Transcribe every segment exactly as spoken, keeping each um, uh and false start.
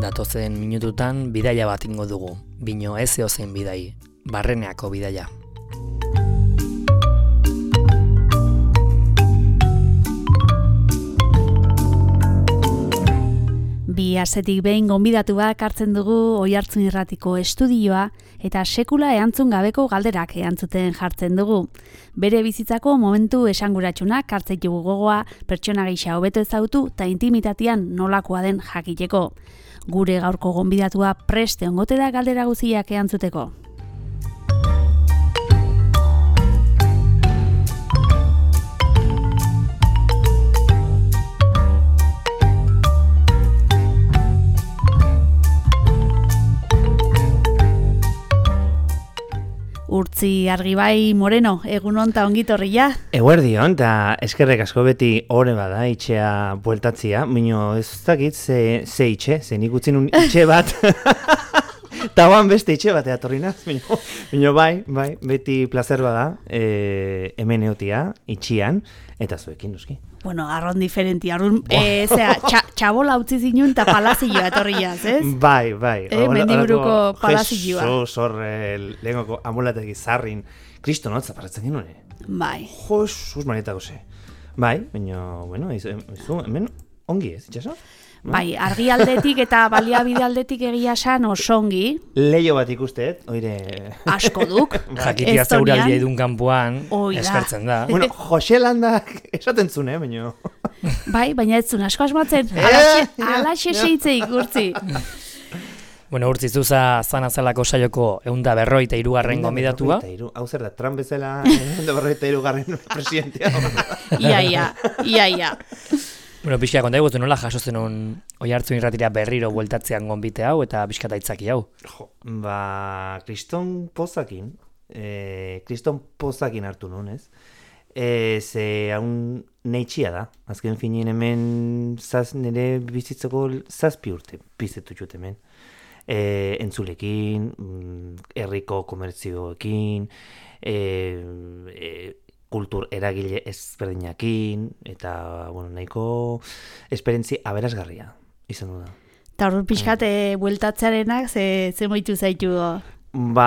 datozen minututan bidaia bat ingo dugu, bino ez eozein bidai, barreneako bidaia. Bi astetik behin gonbidatuak hartzen dugu Oihartzun Irratiko estudioa eta sekula erantzun gabeko galderak erantzuten jartzen dugu. Bere bizitzako momentu esanguratsunak hartzen dugu gogoa, pertsona gisa hobeto ezagutu eta intimitatean nolakoa den jakiteko. Gure gaurko gonbidatua preste ongote da galdera guztiak erantzuteko. Urtzi Argibai Moreno, egunon ta ongitorria. Eguerdion, eta eskerrek asko beti ore bada itxea bueltatzia, mino ez dakit ze, ze itxe, ze nik utzin un itxe bat, eta ban beste itxe bat eatorri naz, mino, mino bai, bai, beti placer bada, e, hemen eotia, itxian, eta zuekin duzki. Bueno, arron diferenti, arron, e, zera, txa, txabola utzi zinun eta palazioa etorriaz, ez? Bai, bai. Eh, mendiburuko palazioa. Jesus, horre, lehengoko amulategi zarrin, kristonotza paratzen genuen. Bai. Jesus, manetako ze. Bai, baina, bueno, izu, hemen ongi ez, itxaso? Bai, argi aldetik eta baliabide aldetik egia san osongi. Leio bat ikustet, oire... Asko duk. Jakitia zeuraldia idun kanpoan, eskertzen da. Bueno, Jose Landak esaten zune, eh, baina... Bai, baina ez zun asko asmatzen. Alaxe seitzeik, Urtzi. Bueno, Urtzi, zuza zana zelako saioko eunda berroita irugarren gonbidatua. Hau zer da, Trump bezala eunda berroita irugarren presidentea. Ia, ia, ia, ia. Bueno, pixka, konta egutu nola jaso zenun Oihartzun Irratira berriro bueltatzean gonbite hau eta pixka itzaki hau? Jo, ba, kriston pozakin, e, kriston pozakin hartu nun, ez? E, ze haun neitxia da, azken finien hemen zaz, nire bizitzako zazpi urte bizitutut hemen. E, entzulekin, herriko komertzioekin, e, e, kultur eragile ezberdinakin, eta, bueno, nahiko esperientzi aberasgarria izan du da. Eta hor pixkate bueltatzearenak, ze, ze moitu zaitu? Ba,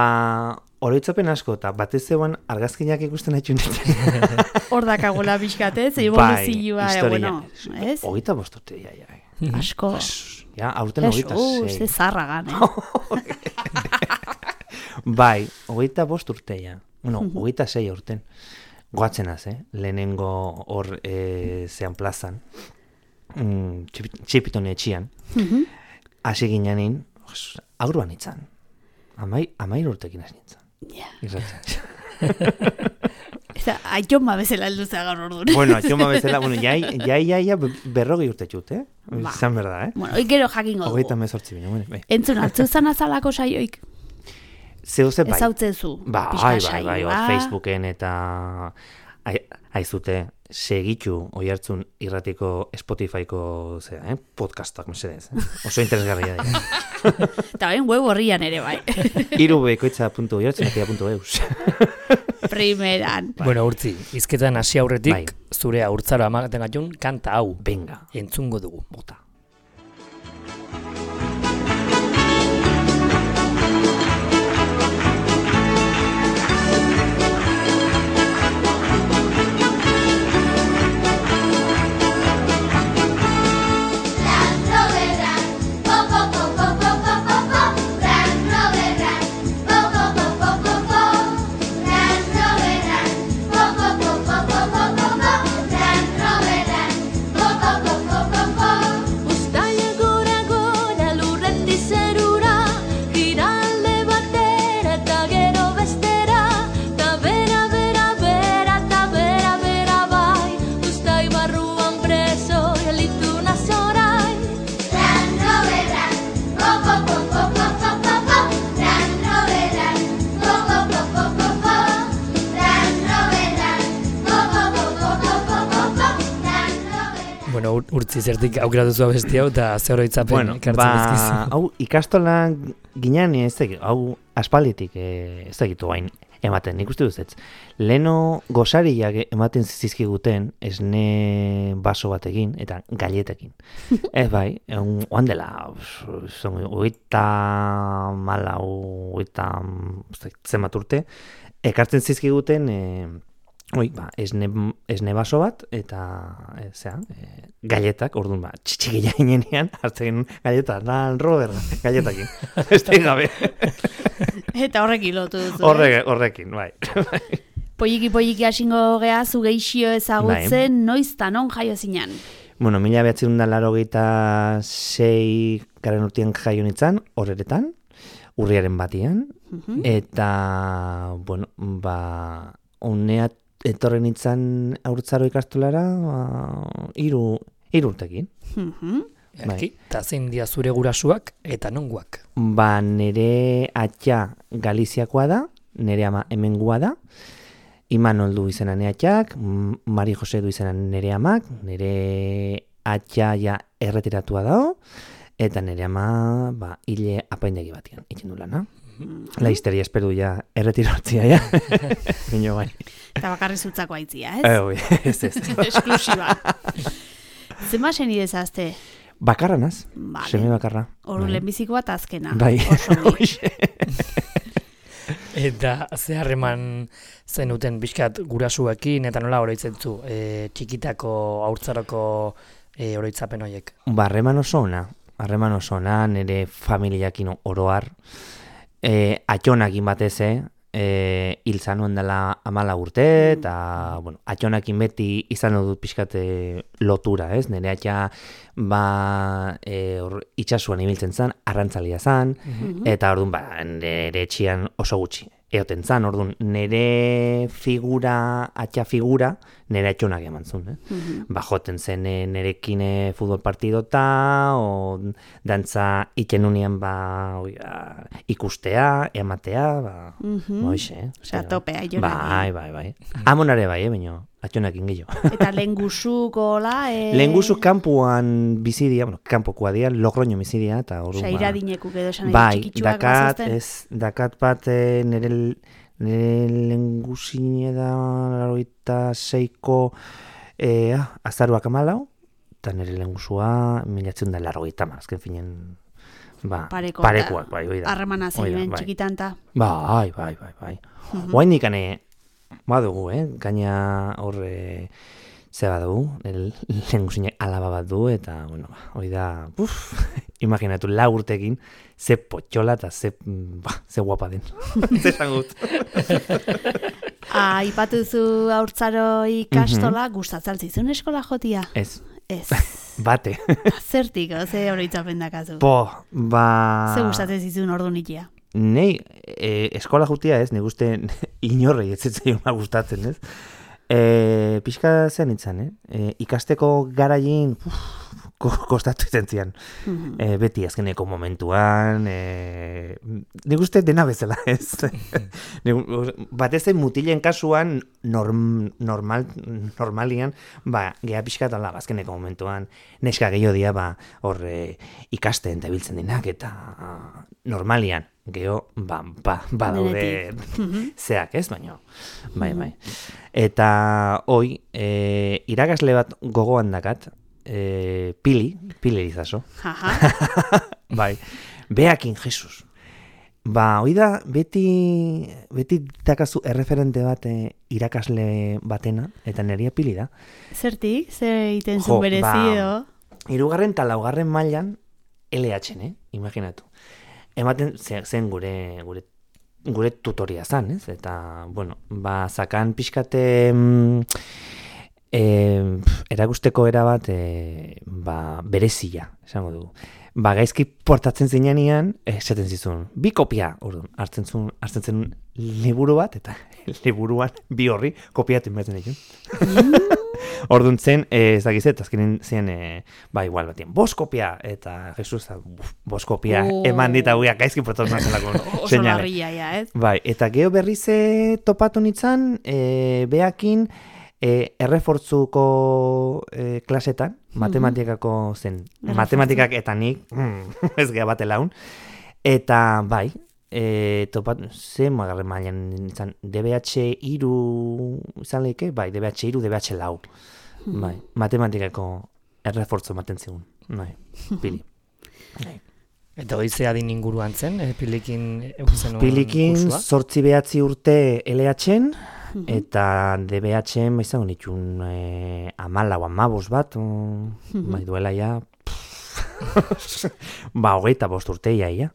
oroitzapen asko, eta batez zegoen argazkinak ikusten haitu nintzen. Hor dakagola pixkate, ze evoluzioa, bai, bueno, ez? Hogeita bosturte, ja, ja. Asko. Ja, aurten hogeita sei. Ez, ze zarragan, eh? Bai, hogeita bosturte, ja. Bueno, hogeita sei aurten. Goatzenaz, eh? Lehenengo hor e, zean plazan, mm, txipitone etxian, hasi gineanin, aurruan itzan. Amai, amair urtekin hasi nintzen. Ja. Irratzen. Eta aitzoma bezala helduza gaur orduan. Bueno, aitzoma bezala, bueno, jai, jai, jai, jai berrogei urte txut, eh? Ba. Zan berda, eh? Bueno, oikero jakingo dugu. Hogeita mezortzi bine, bueno, bai. Entzun, hartzu zan azalako saioik. Zeuze bai. Ezautzezu. Ba, bai, bai, bai, bai, Facebooken eta aizute segitu Oihartzun Irratiko Spotifyko zera, eh? Podcastak mesedez. Eh? Oso interesgarria da. Eta ben web horrian ere bai. irubekoitza puntu oihartzunatia puntu eus. Primeran. Bueno, Urtzi, izketan hasi aurretik, bai. zure haurtzaro amaten gatun, kanta hau. Benga. Entzungo dugu, bota. Urtzi zertik aukera duzu abesti hau eta zer oroitzapen bueno, ekartzen dizkizu. Ba, hau ikastola ginean ez dakit, hau aspalditik ez dakitu bain ematen, nik uste duz, leno gosariak ematen zizkiguten esne baso batekin eta galetekin. Ez bai, oan dela, oita malau, oita zenbat urte, ekartzen zizkiguten, e, oi, ba, esne, esne baso bat, eta, e, zera, e, galetak, orduan, ba, txitxikila inenean, hartzen galeta, nan, Robert, galetakin, ez da gabe. Eta horrekin lotu duzu, Horre, horrekin, bai. Polliki polliki hasingo gea zu geixio ezagutzen, bai. Noiz ta non jaio zinan? Bueno, mila behatzen da laurogeita sei garen urtean jaio nintzen, horretan, urriaren batian, Uh-huh. eta, bueno, ba, unea etorren nintzen haurtzaro ikastolara, ba, iru, iru urtekin. Uh-huh. Erki, eta zein dia zure gurasuak eta nonguak. Ba, nere atxa Galiziakoa da, nere ama hemengua da, Imanol du izena nere atxak, Mari Jose du izena nere amak, nere atxa ja erretiratua dago, eta nere ama, ba, hile apaindegi batian, itzen du lana. La histeria espero ja erretiratzia, ja. Bino bai. Eta bakarri zutzako aitzia, ez? Eh, oi, ez ez. Esklusiba. Zema seni dezazte? Bakarra naz, Vale. seme bakarra. Horu lehenbiziko bat azkena. Bai. Oso ongi. Eta ze harreman zenuten pixkat gurasuekin, eta nola oroitzen zu, e, txikitako haurtzaroko e, oroitzapen horiek? Ba, harreman oso ona, harreman oso ona, nire familiakin oroar, e, atxonakin batez, e, hil zanuen dela amala urte, eta, bueno, atxonakin beti izan dut pixkate lotura, ez? Nire atxa, ba, e, or, itxasuan ibiltzen zan, arrantzalia zan, eta orduan, ba, nire etxian oso gutxi. Eoten zan, orduan, nire figura, atxa figura, nire atxonak eman zuen. Eh? Mhm. Ba, joten zen eh, nerekin eh, futbol partidota, o dantza iten unian, ba, oiga, ikustea, ematea, ba, Mhm. ba, hoxe, eh? Osea, topea, jonak. Bai, bai, bai. Amonare bai, eh, baino, atxonakin gehiago. Eta lehen guzuko, la... E... Lehen guzu kanpuan bizidia, bueno, kanpokoa dia, Logroño bizidia, eta orduan, Osea, iradinekuk edo esan bai, txikitsuak dakat, bazazten. ez, dakat bat eh, nire, nire lengusine da laroita seiko eh, ah, azaruak amalau, eta nire lengusua milatzen da laroita ma, azken finen, ba, Pareko, parekoak, bai, hoi da. Harremana Hoi da, zein bai. txikitan ta. Bai, bai, bai, bai. Mhm. Oain dikane, badugu, eh? Gaina horre, ze badugu, lengusinek alaba bat du, eta, bueno, hoi da, uf, imaginatu, lau urtekin, ze potxola eta ze, ba, ze guapa den. Ze esan gut. Aipatu zu haurtzaro ikastola, gustatzen zizun eskola jotia? Ez, Ez. bate. Zertik, ze oroitzapen dakazu? Po, ba... Ze gustatzen zizun ordu nitia? Nei, e, eskola jutia ez, nik uste inorrei ez zitzaion gustatzen, ez? E, pixka zen itzan, eh? E, ikasteko garaien uf, ko- kostatu izan zian. Mhm. E, beti azkeneko momentuan, e, nik uste dena bezala, ez? Nik- Batez zen mutilen kasuan, norm, normal, normalian, ba, geha pixka tala, azkeneko momentuan, neska gehiago dia, ba, hor e, ikasten eta biltzen dinak, eta normalian, geho, ba, ba, ba daude Mhm. zeak, ez, baino, bai, bai. Eta, hoi, e, irakasle bat gogoan dakat, e, Pili, Pili Elizaso, Jaja. bai, beakin Jesus. Ba, hoi da, beti, beti dakazu erreferente bat eh, irakasle batena, eta neria Pili da. Zertik? Zer egiten Jo, zuen berezi ba, edo? Hirugarren eta laugarren mailan L H, eh? Imaginatu. Ematen ze- zen gure gure gure tutoria zan, ez? Eta, bueno, ba, zakan pixkate mm, eh, erakusteko erabat eh, ba, berezia, esango dugu. Ba, gaizki portatzen zinean, esaten zizun, bi kopia, orduan, hartzen zuen, hartzen zen liburu bat, eta liburuan bi horri kopiatzen behar zen Orduan zen, eh, ez dakizet, azkenen zen, eh, ba, igual batien, bos kopia, eta Jesus, uf, bos kopia, Oh. eman dit hauiak gaizki portatzen zelako Oso seinale. larria, ja, ez? Bai, eta geho berriz eh, topatu nintzen, eh, beakin, eh, errefortzuko eh, klasetan, matematikako zen, Errefortzu. matematikak eta nik, mm, ez geha bate laun, eta bai, e, topat, ze magarren mailan izan, D B H hiru izan lehike, bai, D B H hiru, D B H lau. Bai, matematikako errefortzo ematen zigun, bai, pili. Bai. Eta hori ze adin inguruan zen, e, pilikin eukizen Pilikin kursua? zortzi behatzi urte L H-en, eta D B H-en izango nituen e, amalau, amabos bat, o, bai duela ja, ba, hogeita bost urte iaia.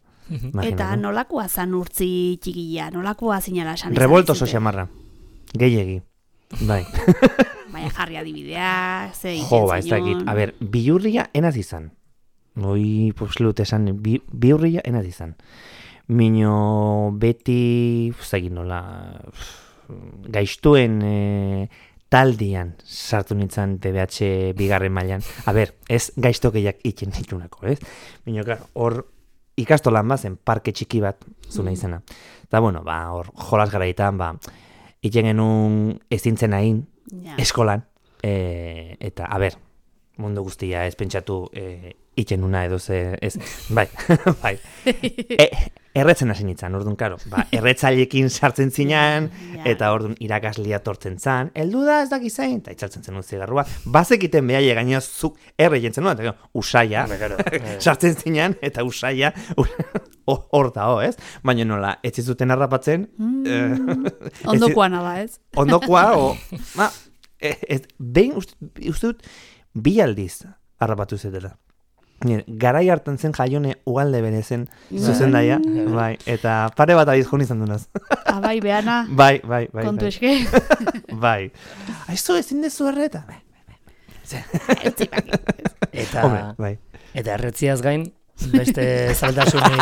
Eta nolakoa zan urtzi txikila, nolakoa zinala esan izan? Revolto oso xamarra, gehiegi, bai. Baina jarri adibidea, ze Jo, ba, ez dakit. A ber, bihurria enaz izan. Hoi, poslut esan, bi, bihurria enaz izan. Mino beti, ez dakit nola, gaiztuen e, taldian sartu nintzen D B H bigarren mailan. A ber, ez gaiztokeiak itzen nitunako, ez? Mino, klar, hor ikastolan bazen parke txiki bat zuna izena. Eta, bueno, ba, hor jolas garaitan, ba, itzen genuen ezintzen hain, Ja. eskolan, e, eta, a ber, mundu guztia ez pentsatu e, itzen una edo ze, ez, bai, bai, e, erretzen hasi nintzen, orduan, karo, ba, erretzailekin sartzen zinan, Ja. eta orduan irakaslia tortzen zan, heldu da ez dakiz zain, eta itzaltzen zenun zigarrua, bazekiten behaile gaina zuk erre jentzen nuen, eta gero, usaia, sartzen zinan, eta usaia, hor da, ez? Baina nola, etzi zuten harrapatzen, Mm, ondokoana da, ez? ondokoa, o, ma, ez, behin, uste, uste dut, bi aldiz harrapatu zetela. Garai hartan zen jaione ugalde berezen zuzendaia, bai, eta pare bat abiz joan izan dunaz. Abai, beana, Bai, bai, bai. kontu bai. eske. Bai. Aizu, ezin dezu erreta. Bai, Eta, hombre, bai. eta erretziaz gain, beste zaldasunik.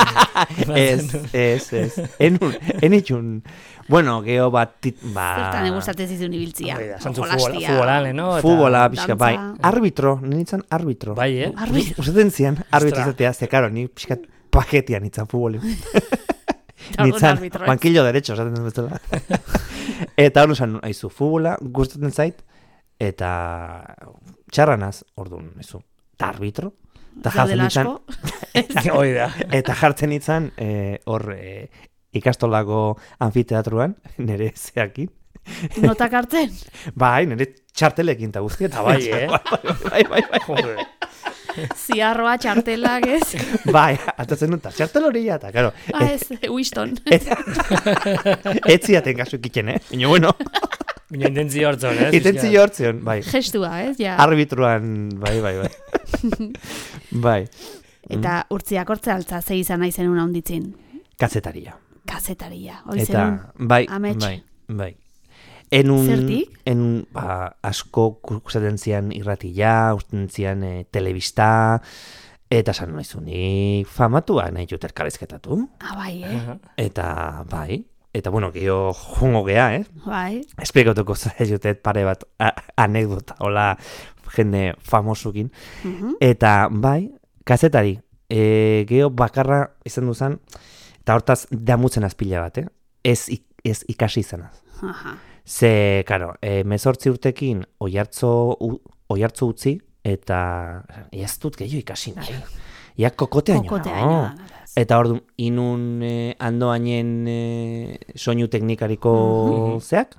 Ez, ez, ez. Enun, enitxun. Bueno, geho bat, tit, ba... Zertan egustatzen zizun ibiltzia. Hori da, zantzu Jolastia. futbolale, no? Eta- Futbola, pixka, dantza. bai. Arbitro, nintzen arbitro. Bai, eh? Arbitro. Usaten zian, arbitro Ostra. izatea, ze karo, ni pixka paketian nintzen futboli. Orduan Nintzen, arbitro, ez? banquillo derecho, esaten dut bezala. Eta hor esan, aizu, futbola gustatzen zait, eta txarranaz, orduan, aizu, eta arbitro, eta jartzen Zaudela nintzen, asko. Hoi da. eta jartzen nintzen, eh, hor, eh, ikastolako anfiteatruan, nire zeakin, Notak hartzen? bai, nire txartelekin eta guzti, eta Bai, eh? bai, bai, bai, Joder. Ziarroa, txartelak, ez? bai, atatzen dut, txartel hori eta, karo, Ah, ez, Winston. etziaten kasu ikiten, eh? Baina, bueno, Bina intentzio hortzon, eh? intentzio hortzion, bai, Gestua, ez? Ja. arbitruan, bai, bai, bai, bai, Eta urtziak hortze altza, ze izan nahi zenun handitzin. kazetaria. Kazetaria, hori Eta, zenun. bai, Amets. bai, bai. Enun, Zertik? enun, ba, asko usaten zian irratia, usaten zian e, telebista, eta san nahizu, nik famatua nahi jut elkarrizketatu. Ah, bai, eh? Eta, bai, eta bueno, geho jongo gea, eh? Bai. Esplikatuko zara jutet pare bat a, anekdota, hola jende famosukin. Mhm. Eta, bai, kazetari, e, geho bakarra izan duzan, eta hortaz damutzen azpila bat, eh? Ez, ik- ez ikasi izanaz. Aha. Ze, karo, e, mezortzi urtekin oiartzo, u, oiartzo utzi, eta ez dut gehiago ikasi nahi. Ia kokotea Kokote no? aino. Eta ordu inun e, andoainen e, soinu teknikariko zeak,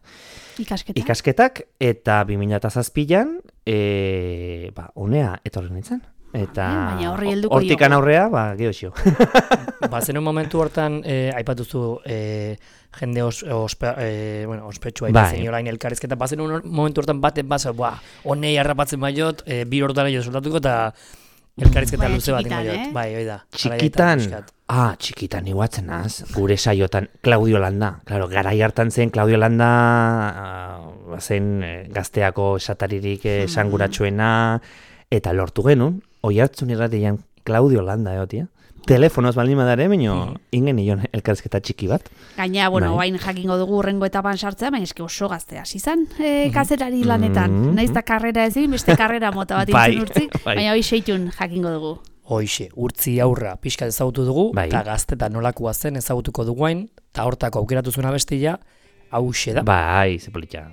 Ikasketa. ikasketak, eta bi mila zazpian, e, ba, honea etorri nintzen. Eta Ah, baina horri helduko hortikan diogu. aurrea, ba, geho xio. Ba, zen un momentu hortan, eh, aipatuzu eh, jende os, ospe, eh, bueno, ospetsua Bai. iten orain elkarrizketa, ba, zen un momentu hortan baten basa, ba, honei harrapatzen baiot, eh, bi hortan jo soltatuko, eta elkarrizketa Baina luze bat txikitan, baiot. eh? Bai, hoi da. Txikitan, Garaietan, pixkat. ah, txikitan iguatzen az, gure saiotan, Claudio Landa. Claro, garai hartan zen, Claudio Landa uh, zen eh, gazteako esataririk eh, esanguratsuena, eta lortu genuen, oi hartzun irratian Claudio Landa egotia. Telefonoz baldin badare, baino ingen nion elkarrizketa txiki bat. Gaina, bueno, Bai. bain jakingo dugu urrengo etapan sartzea, baina eske oso gazte hasi izan e, kazetari lanetan. Mhm. Naiz eta karrera ezin, beste karrera mota bat Bai, intzun urtzi, bai. baina hoi seitun jakingo dugu. Hoixe, urtzi aurra pixka ezagutu dugu, Bai. eta gazteta nolakoa zen ezagutuko duguain, eta hortako aukeratu zuen abestia, hauxe da. Bai, ze politxa.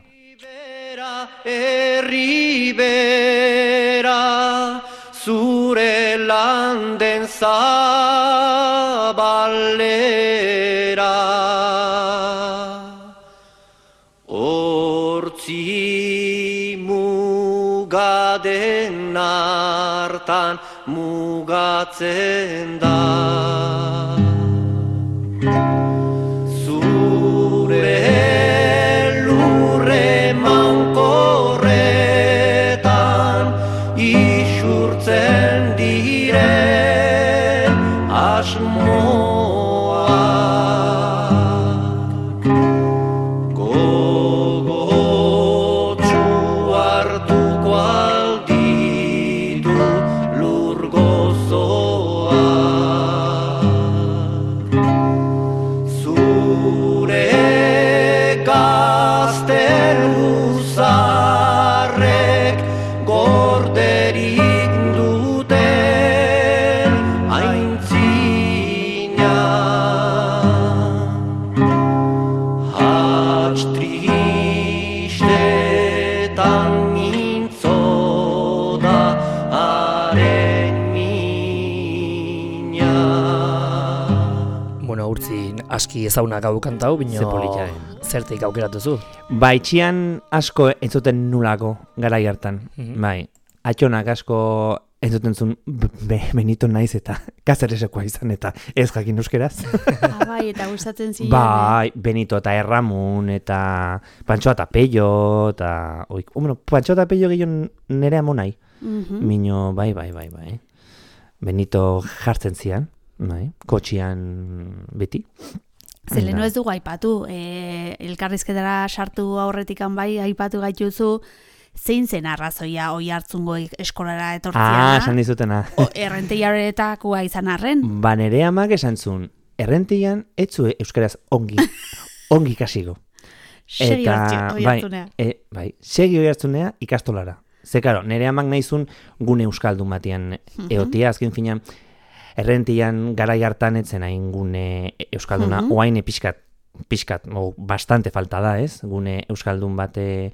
Herri bera zure landen zabale den hartan mugatzen da. Zure lurre mankorretan isurtzen diren asmoak. Gogotsu hartuko alditu lur gozoak. Zure gazteluzarrek gorderik duten aintzina. Hats tristetan mintzo da haren mina. Bueno, urtzin aski ezagunak hau kantau, bino Ze polita, eh? zertik aukeratu zu. Ba, itxian asko entzuten nulako garai hartan. Mhm. Bai, atxonak asko entzuten zuen be, Benito naiz eta Kazeresekoa izan eta ez jakin euskeraz. Ah, bai, eta gustatzen ziren. Bai, Benito eta Erramun eta Pantxo eta Pello eta... Oik, oh, bueno, Pantxo eta Pello gehiago nere amonai. Mhm. Mino, bai, bai, bai, bai. Benito jartzen zian, bai, kotxian beti. Zeleno ez dugu aipatu, e, elkarrizketara sartu aurretikan bai aipatu gaituzu, zein zen arrazoia oi hartzungo eskolara Ah, etortziana, esan dizutena. errenteiaretakoa izan arren. Ba, nere amak esan zuen, errentian etzu euskaraz ongi, ongi ikasiko. Segi Eta, oi bai, hartzunea. e, bai, segi oi hartzunea ikastolara. Ze, karo, nere amak nahizun gune euskaldun batean eotia, azken finean, errentian garai hartan etzen hain gune euskalduna, Mhm. oain pixkat, pixkat, o, bastante falta da, ez? Gune euskaldun bate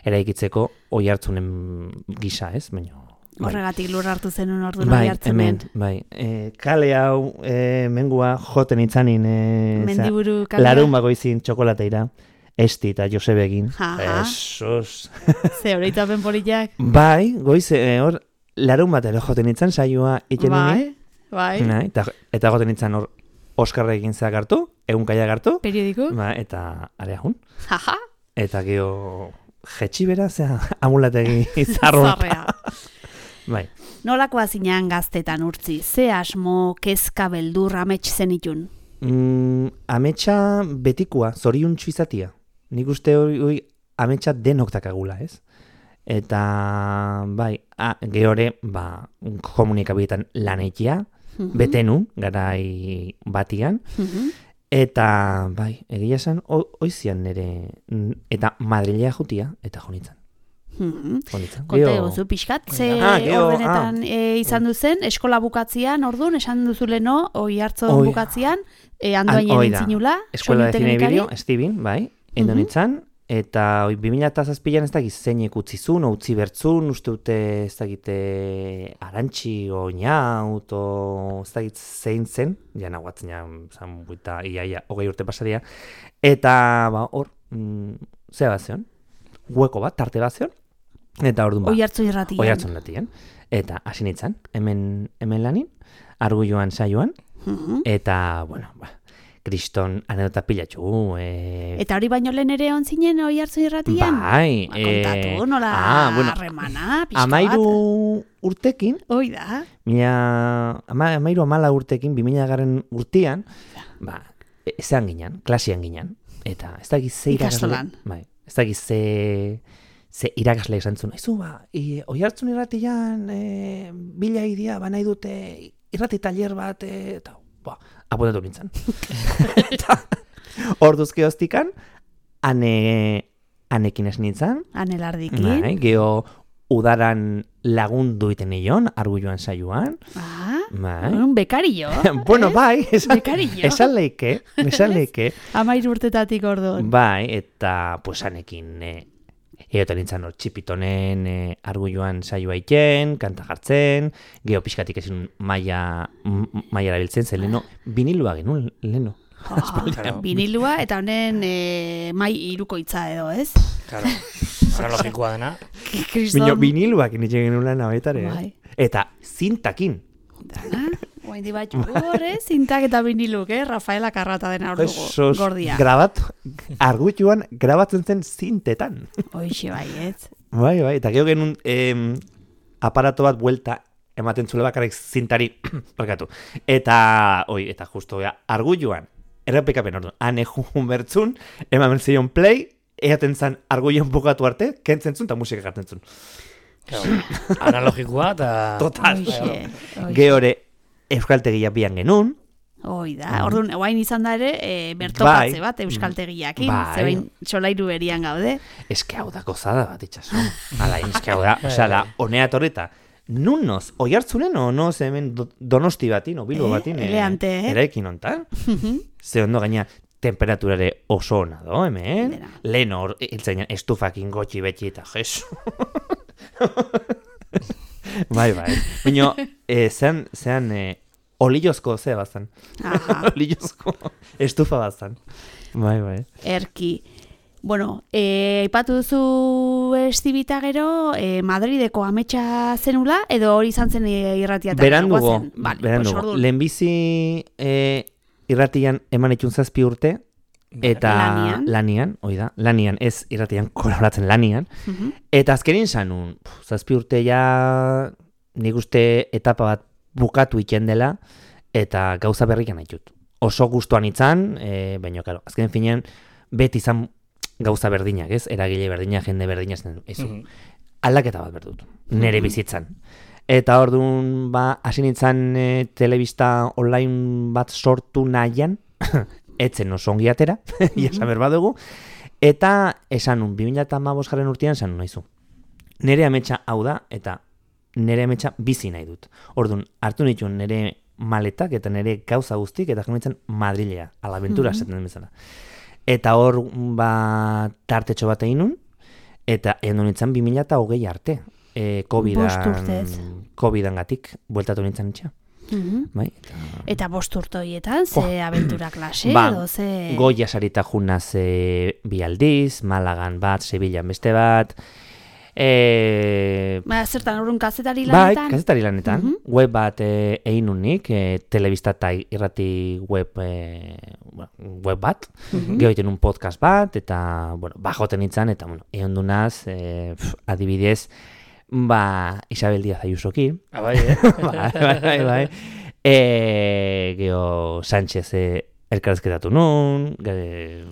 eraikitzeko oi hartzunen gisa, ez? Baina, bai. Horregatik lur hartu zenun ordu Bai, nahi hartzunen. hemen, bai. E, kale hau, e, mengua joten itzanin, e, Mendiburu kalea. larun bagoizin txokolateira, Esti eta Josebegin. Aha. Jesus. Ze horreitapen politak. Bai, goiz, e, hor, larun bat ere joten itzan saioa iten Bai, bai. Bai, eta, eta goten itzan hor Oskarra egin zeak hartu, egun kaiak hartu, Periodiku. ba, eta areajun. Jaja. Eta geho jetxi bera, zea, amulategi zarroa. Zarrea. Bai. Nolakoa zinean gaztetan urtzi? Ze asmo, kezka, beldur, amets zenitun? Mm, ametsa betikua, zoriontsu izatia. Nik uste hori, hori ametsa denok dakagula, ez? Eta, bai, a, gehore, ba, komunikabietan lan eitia, Mhm. betenu, garai batian, Mhm. eta, bai, egia esan, o- oizian nire, mm, eta Madrilea jutia, eta jonitzan. Mhm. jonitzan. Konta Gero- eguzu pixkat, ze Ah, gero, ordenetan e, izan duzen, eskola bukatzian, orduan, esan duzu leno, oi hartzon Oi. bukatzian, e, An- andoainen hoi da. intzinula, Eskola de soinu Cine y teknikari. Video, Steven, bai, endonitzan, eta oi, bi mila zazpian ez dakit zeinek utzi zuen, o utzi bertzun, uste dute ez dakite arantxi, o inaut, o ez dakit zein zen, ja nahuatzen ja, zan buita, ia, ia, hogei urte pasaria, eta, ba, hor, mm, zea bat zeon, hueko bat, tarte bat zeon, eta orduan ba, Oi hartzun irratian. oi hartzun datien, eta hasi nintzen, hemen, hemen lanin, argulloan saioan, Mhm. eta, bueno, ba, kriston anedota pilatxu, e, Eta hori baino lehen ere on zinen oi hartzun irratian? bai, Ba, kontatu, nola ah, bueno, harremana, pixka bat. amairu urtekin, Hoi da. mila, ama, amairu amala urtekin, bi mila garren urtean, ba, e- zean ginen, klasian ginen, eta ez dakiz ze irakasle, Ikastolan. bai, ez dakiz ze, ze irakasle esan zuen, aizu, ba, i, oi hartzun irratian, e, bila idia, ba nahi dute irrati taller bat, e, eta, ba, apuntatu nintzen. Eta, orduzke hoztikan, ane, anekin ez nintzen, Anelardikin. bai, geho udaran lagundu iten nion, argulloan saioan, Ah, bai. un bekario. Bueno, bai, esan, Bekario. esan leike, esan leike, Amairu urtetatik orduan. bai, eta, pues, anekin, e, eoten nintzen hor txipitonen e, argulloan saioa iten, kanta jartzen, geho pixkatik ezin maia, m- maia erabiltzen, zen leno, vinilua genuen, leno. Ah, vinilua eta honen e, mai irukoitza edo, ez? Claro. analogikoa dena. Kriston. Bino, viniluak initzen genuen nabetare. Bai. Eta zintakin. Dana, guain di batxu horre, zintak eta viniluk, eh? Rafaela Karrata dena hor dugu, Esos, gordia. grabat, arguituan grabatzen zen zintetan. Hoixe bai, ez? Bai, bai, eta gero genuen em, aparato bat buelta ematen zule bakarrik zintari, barkatu. Eta, oi, eta justo, ja, arguituan, errepikapen orduan, ane jun bertzun, eman zion play, eaten zan arguioan bukatu arte, kentzen zun eta musika garten zun. Analogikoa eta... Total. Hoixe, hoixe. Geore, euskaltegia bian genuen, Hoi da, orduan, guain izan da ere, e, bertokatze Bai. bat euskaltegiakin, Bai. zebain solairu berian gaude. eske hau da gozada bat itxaso. Hala, eske hau da, osea, da, honea torreta. Nun noz, oi hartzunen o noz hemen do, donosti batin, o bilbo Eh, batin. eleante, eh? Eraikin ontan. Ze ondo gaina temperaturare oso ona do, hemen. Dena. Lehen hor, hiltzainen estufakin gotxi betxi eta jesu. bai, bai. Bino, eh, zean, zean, eh, olillozko ze bazan. Aha, Olillozko estufa bazan. Bai, bai. erki. Bueno, eh, aipatu duzu estibita gero, eh, Madrideko ametsa zenula, edo hori izan zen eh, irratiatan? Berandugo, Vale, berandugo. pues orduan. Lehenbizi eh, irratian eman itxun zazpi urte, eta Lanian. lanian, hoi da, lanian, ez irratian kolaboratzen lanian, Mhm. eta azkenin zanun, pf, zazpi urte ja nik uste etapa bat bukatu iten dela, eta gauza berrikan haitut. Oso gustuan itzan, e, baina, karo, azken finean, beti izan gauza berdinak, ez? Eragile berdinak, jende berdinak zen, ezu. Mhm. Aldaketa bat berdut, nere bizitzan. Eta orduan, ba, hasi nintzen e, telebista online bat sortu nahian, etzen oso ongi atera, jasan berba dugu, eta esan nun, bi mila hamabosgarren urtean esan nun nahizu. Nere ametsa hau da, eta nere ametsa bizi nahi dut. Orduan, hartu nituen nere maletak eta nere gauza guztik, eta joan nintzen Madrilea, alabentura Mhm. esaten den bezala. Eta hor, ba, tartetxo bat egin nun, eta egin nintzen bi mila hogei arte. E, Bost urtez. Covidan, Covidan gatik, bueltatu nintzen itxa. Mhm. Bai? Eta, Eta bost urte horietan, ze Oh. aventura klase, Ba, edo ze... Goya sarita junaz e, bi aldiz, Malagan bat, Sevillan beste bat, e, Ba, zertan, orduan kazetari bai, lanetan? kazetari lanetan, Mhm. web bat e, egin nunik, e, telebista eta irrati web, e, bueno, web bat, Mhm. gero egiten un podcast bat, eta, bueno, bajoten nintzen, eta, bueno, egon dunaz, e, pf, adibidez, ba, Isabel Díaz Ayusoki, Ah, bai, eh? bai, bai, bai, bai. E, geho Sánchez e, elkarrezketatu nun, ge,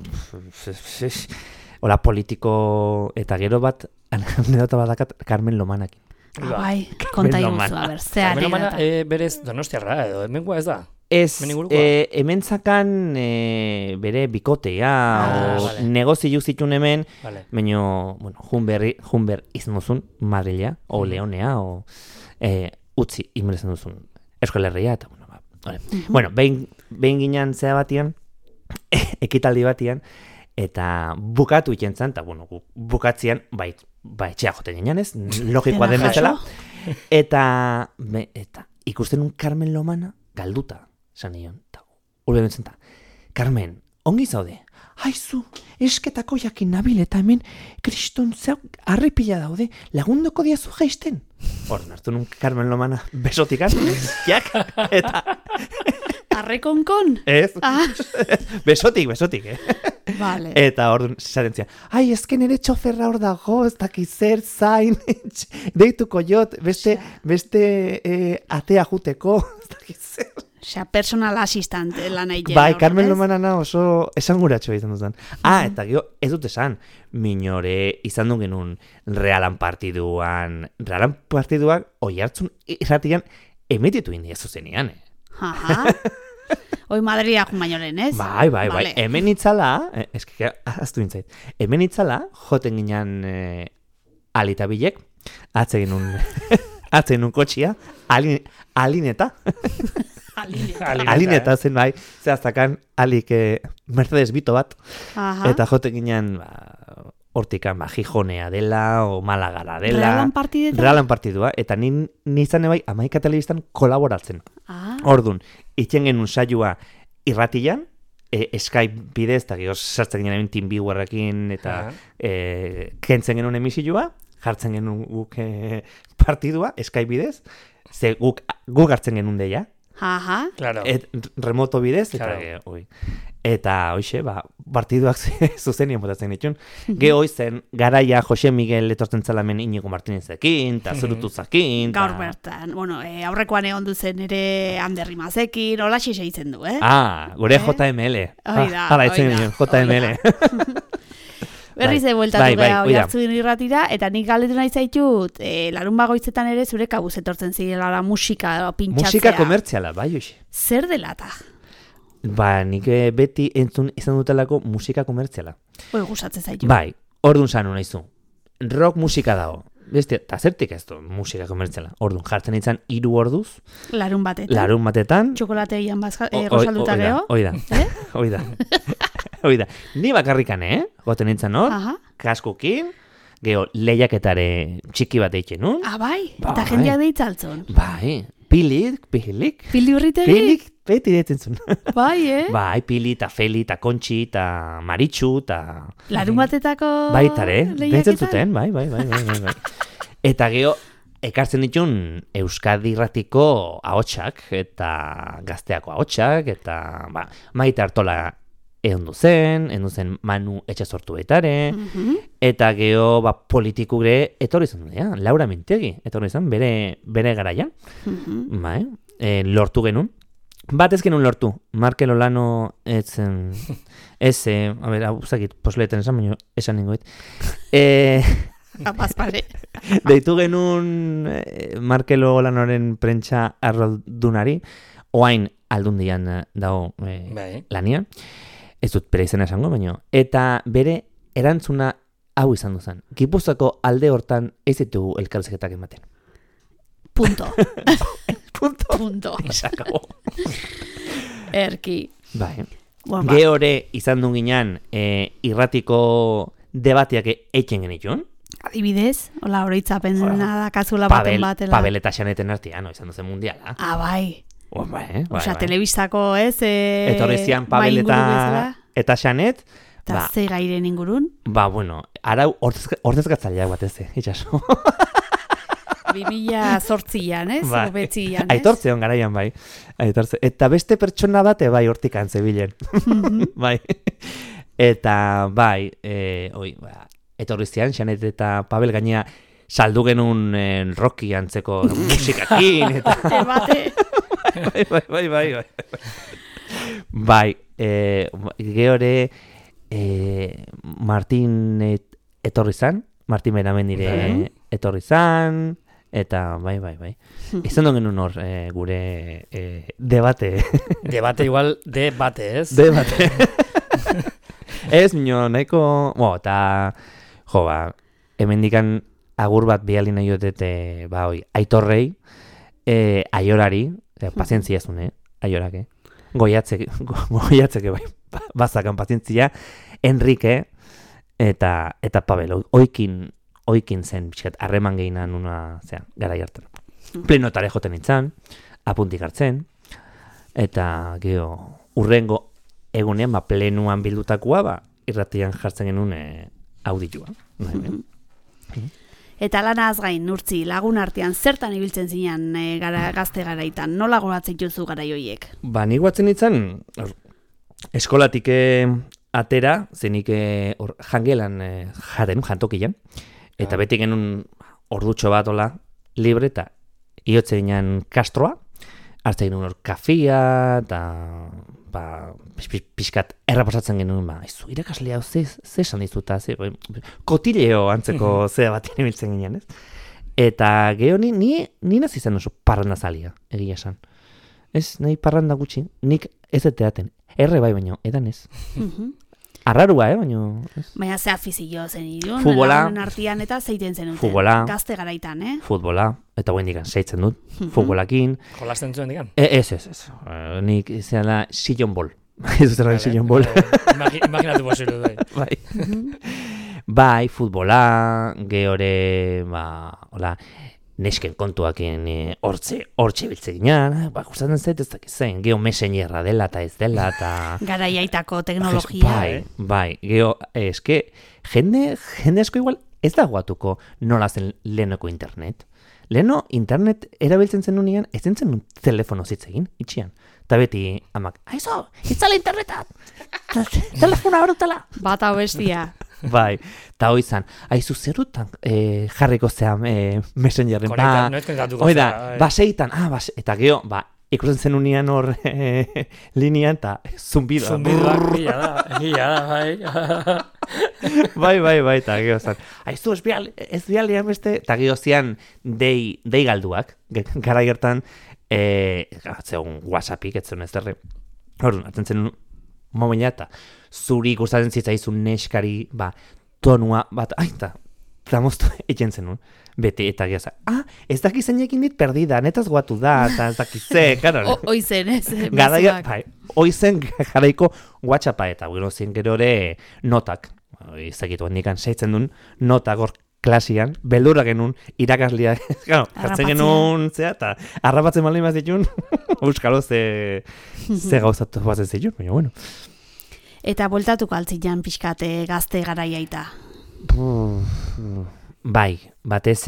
hola politiko, eta gero bat, anedota badakat Carmen Lomanakin. Ah, bai, konta iguzu, Lomana. a ber, ze Carmen Lomana, anekdota. eh, berez donostiarra, edo hemengoa ez da? Ez, Hemen ingurukoa? e, hemen zakan e, bere bikotea, Ah, o vale. negozio zituen hemen, Vale. baina, bueno, junberri, junber izmozun Madrilea, o Mhm. Leonea, o e, utzi inbrezen duzun Euskal Herria, eta, bueno, ba, hori. Mhm. Bueno, behin, behin ginen zea batian, ekitaldi batian, eta bukatu iten zan, eta, bueno, gu- bukatzean, bai, ba, etxea joten ginen ez, logikoa den Dena bezala, jaso. eta, be, eta ikusten un Carmen Lomana galduta, esan nion, eta urbe bentzen ta, Carmen, ongi zaude, haizu, esketako jakin nabil eta hemen kriston zeu harripila daude, lagunduko diazu jaisten. Hor, hartu nun Carmen Lomana besotikan, jak, eta Arrekonkon? ez, Ah, besotik, besotik, eh? vale. Eta hor zaten zian, ai, esken ere txoferra hor dago, ez dakiz zer, zain, deituko jot, beste, beste eh, atea juteko, ez dakiz zer. Osea, personal assistant lan egiten. Bai, orduan, Carmen ez? Lomanana oso esanguratxo izan duzan. Ah, eta gero, ez dut esan, minore izan du genuen realan partiduan, realan partiduak oi hartzun irratian emititu india zuzenean, eh? Aha. Hoi Madria jun baino lehen, ez? Bai, bai, bai. Vale. Hemen itzala, eh, eske, ahaztu nintzait, hemen itzala, joten ginen eh, alita bilek, atze genuen, atze genuen kotxia, alin, alineta, Aline. Alineta, alineta eh? zen bai, zehaztakan alik eh, Mercedes Bito bat, Aha. eta joten ginen, ba, hortikan, ba, Gijonea dela, o Malagara dela. Realan partidetan? Realan partidua, eta ni nizan ebai amaika telebistan kolaboratzen. Ah, Ordun, itxen genuen saioa irratian, e, Skype bidez, eta gero sartzen ginen TeamViewerrekin, eta Aha. e, kentzen genuen emisioa, jartzen genuen guk e, partidua, Skype bidez, ze guk, guk hartzen genuen deia, Aha. Claro. et, remoto bidez, eta Claro. ge, oi. Eta, hoxe, ba, partiduak zuzenien botatzen ditun. Geho zen, garaia Jose Miguel etortzen zalamen Inigo Martinezekin, eta Zurutuzakin. Gaur bertan, bueno, e, aurrekoan egon duzen ere Ander Rimazekin, hola xixe itzen du, eh? Ah, gure Eh? J M L. Hoi da, Ah, hala, hoi itzen da, ginen, J M L. hoi Berriz Bai, ebueltatu bai, bai, geha hoi da. Oiartzun irratira, eta nik galdetu nahi zaitut, e, larun bagoitzetan ere zure kabuz etortzen zirela la musika pintxatzea. Musika komertziala, bai, hoxe. Zer delata? Ba, nik eh, beti entzun izan dutelako musika komertziala. Hoi gustatzen zaitu. Bai, orduan sanu nahizu. Rock musika dago. Beste, eta zertik ez du musika komertziala. Orduan, jartzen izan hiru orduz, Larun batetan. larun batetan. Txokolategian bazka, O- e, oi- rosalduta hoi da, geho. Hoi da, Eh? hoi da. Hoi da. Ni bakarrikan, eh? Goten nintzen hor, Aha. kaskukin, geho lehiaketare txiki bat eitzen nun. Ah, bai? Bai. Eta jendeak deitzaltzon. Bai, pilik, pilik, Pildi urritegi? pilik, beti deitzen zuen. Bai, eh? Bai, pili, eta feli, eta kontxi, eta maritxu, eta... Larun batetako Baitare, lehiaketan? deitzen zuten, bai, bai, bai, bai, bai, bai. Eta geho, ekartzen ditun Euskadi Irratiko ahotsak eta gazteako ahotsak, eta ba, Maite Artola egon zen, egon zen Manu Etxasortu baitare, Mhm. eta geho ba, politiku gure etorri zen, ja, Laura Mintegi, etorri zen bere, bere garaian, Mhm. bai, e, lortu genuen. Bat ez genuen lortu, Markel Olano ez, em, ez, eh, a ber, hau zakit, posleeten esan, baina esan ningoet. Eh... Kapaz pare. Deitu genuen eh, Markel Olanoren prentsa arroldunari, oain aldundian eh, dago eh, Bai. lanian, ez dut bere izena esango, baino, eta bere erantzuna hau izan duzan. Gipuzkoako alde hortan ez ditugu elkarrizketak ematen. Punto. Punto. Punto. Sakabo. Erki. Bai. Bueno, ba, Gehore izan duen ginean eh, irratiko debateak eitzen genitun. adibidez, hola oroitzapen Hola. dakazula baten Pabel, batela. Pabel eta Xaneten artean, no, izan duzen mundiala. Ah, bai. Oh, bai, eh, bai, Osea, bai. telebistako, ez? E, Etorri zian Pabel mai inguru eta, bezala. eta Xanet, Eta ba, ze gairen ingurun. ba, bueno, arau ordezkatzaileak batez, eh, itxaso. bi mila zortzian, ez? Bai. O betzian, ez? Aitortze hon garaian, bai. Aitortze. Eta beste pertsona bate, bai, hortikan zebilen. bai. Eta, bai, e, oi, ba, etorri zian, Xanet eta Pabel gainea saldu genuen eh, Rocky antzeko musikakin, eta... Bate, bate. bai, bai, bai, bai, bai. Bai, eh, gehore eh, Martin et, etorri zan, Martin Beramendire Bai. etorri zan, eta bai, bai, bai. Izan duen genuen hor eh, gure eh, debate. Debate igual, debate, ez? debate. Ez, nio, nahiko... Bo, eta, jo, ba, hemendikan agur bat biali nahi dutete, ba, oi, Aitorrei, eh, Aiorari, eh, pazientzia zune, Aiorake, goiatzeke, go, goiatzeke, bai, ba- bazakan pazientzia, Enrique, eta, eta Pabel, oi- oikin, oikin zen, pixkat, harreman gehinan una, zera, gara jartan. Plenotare joten nintzen, apuntik hartzen, eta, geho, urrengo egunean, ba, plenuan bildutakoa, ba, irratian jartzen genuen e, auditua. Bai, bai. Eta lanaz gain, Urtzi, lagun artean zertan ibiltzen zinean e, gara, gazte garaitan? Nola goratzen juzu garai hoiek? Ba, nik guatzen nintzen, hor, eskolatik eh, atera, zenik eh, hor jangelan eh, jaren, jantokian, eta Ah. beti genuen ordutxo bat ola libre, eta iotze ginen kastroa, hartzen genuen hor kafia, eta ba, pix- pix- pixkat errapasatzen genuen, ba, izu, irakaslea, ze, ze esan dizuta, ze, ba, kotileo antzeko zea bat ibiltzen ginen, ez? Eta geho ni, ni, ni nazi zen oso parranda zalia, egia esan. Ez, nahi parranda gutxi, nik ez eteaten. Erre bai baino, edan ez. Arrarua, eh, baino... Ez. Baina ze afizio zen irun, Futbola. lagunen artean eta zeiten zenuten. Futbola. Gazte garaitan, eh? Futbola, eta guen digan, seitzen dut, futbolakin. Jolasten zuen digan? E, ez, ez, ez. Eh, nik izan da sillon ball. Ez dut erran sillon ball. Imagi, imaginatu posible, bai. Bai. Bai, futbola, gehore, ba, hola, nesken kontuakin e, hortze, hortxe biltze ginean, ba, gustatzen zait ez dakiz zein, geho mesenierra dela eta ez dela, eta... Garaiaitako teknologia. Bai, bai, geho, eske, jende, jende asko igual ez da guatuko nola zen lehenoko internet. Leheno internet erabiltzen zen unian, ez zen zen telefono zitzegin, itxian. Eta beti, amak, aizo, itzala internetat, telefona horretala. Bata bestia. Bai, eta hoi zan, aizu zerutan e, jarriko zean e, messengerren, ba, oida, baseitan, ah, base, eta geho, ba, ikusten zen unian hor e, linean, eta zumbido. Zumbidoak, gila da, gila da, bai. Bai, bai, bai, eta geho zan, aizu, ez bial, ez bialian beste, eta geho zian dei, dei galduak, gara gertan, e, zegoen WhatsAppik, ez zen ez derre, hor, atzen zen momena, eta zuri gustatzen zitzaizun neskari, ba, tonua, bat, aita, tramoztu egin zenun, beti, eta gehaza, ah, ez daki zeinekin dit perdida, netaz guatu da, eta ez daki ze, karo. Oizen, ez, Garaia, bai, oizen garaiko WhatsAppa, eta gero zien gero ere notak, izakitu handikan seitzen duen, notak hor klasian, beldurra genuen, irakasliak, claro, jartzen genuen, zea, eta harrapatzen maldin bat zituen, euskalo ze, ze gauzatu batzen zituen, baina, bueno. Eta bueltatuko altzian pixkate gazte garaiaita. Bai, batez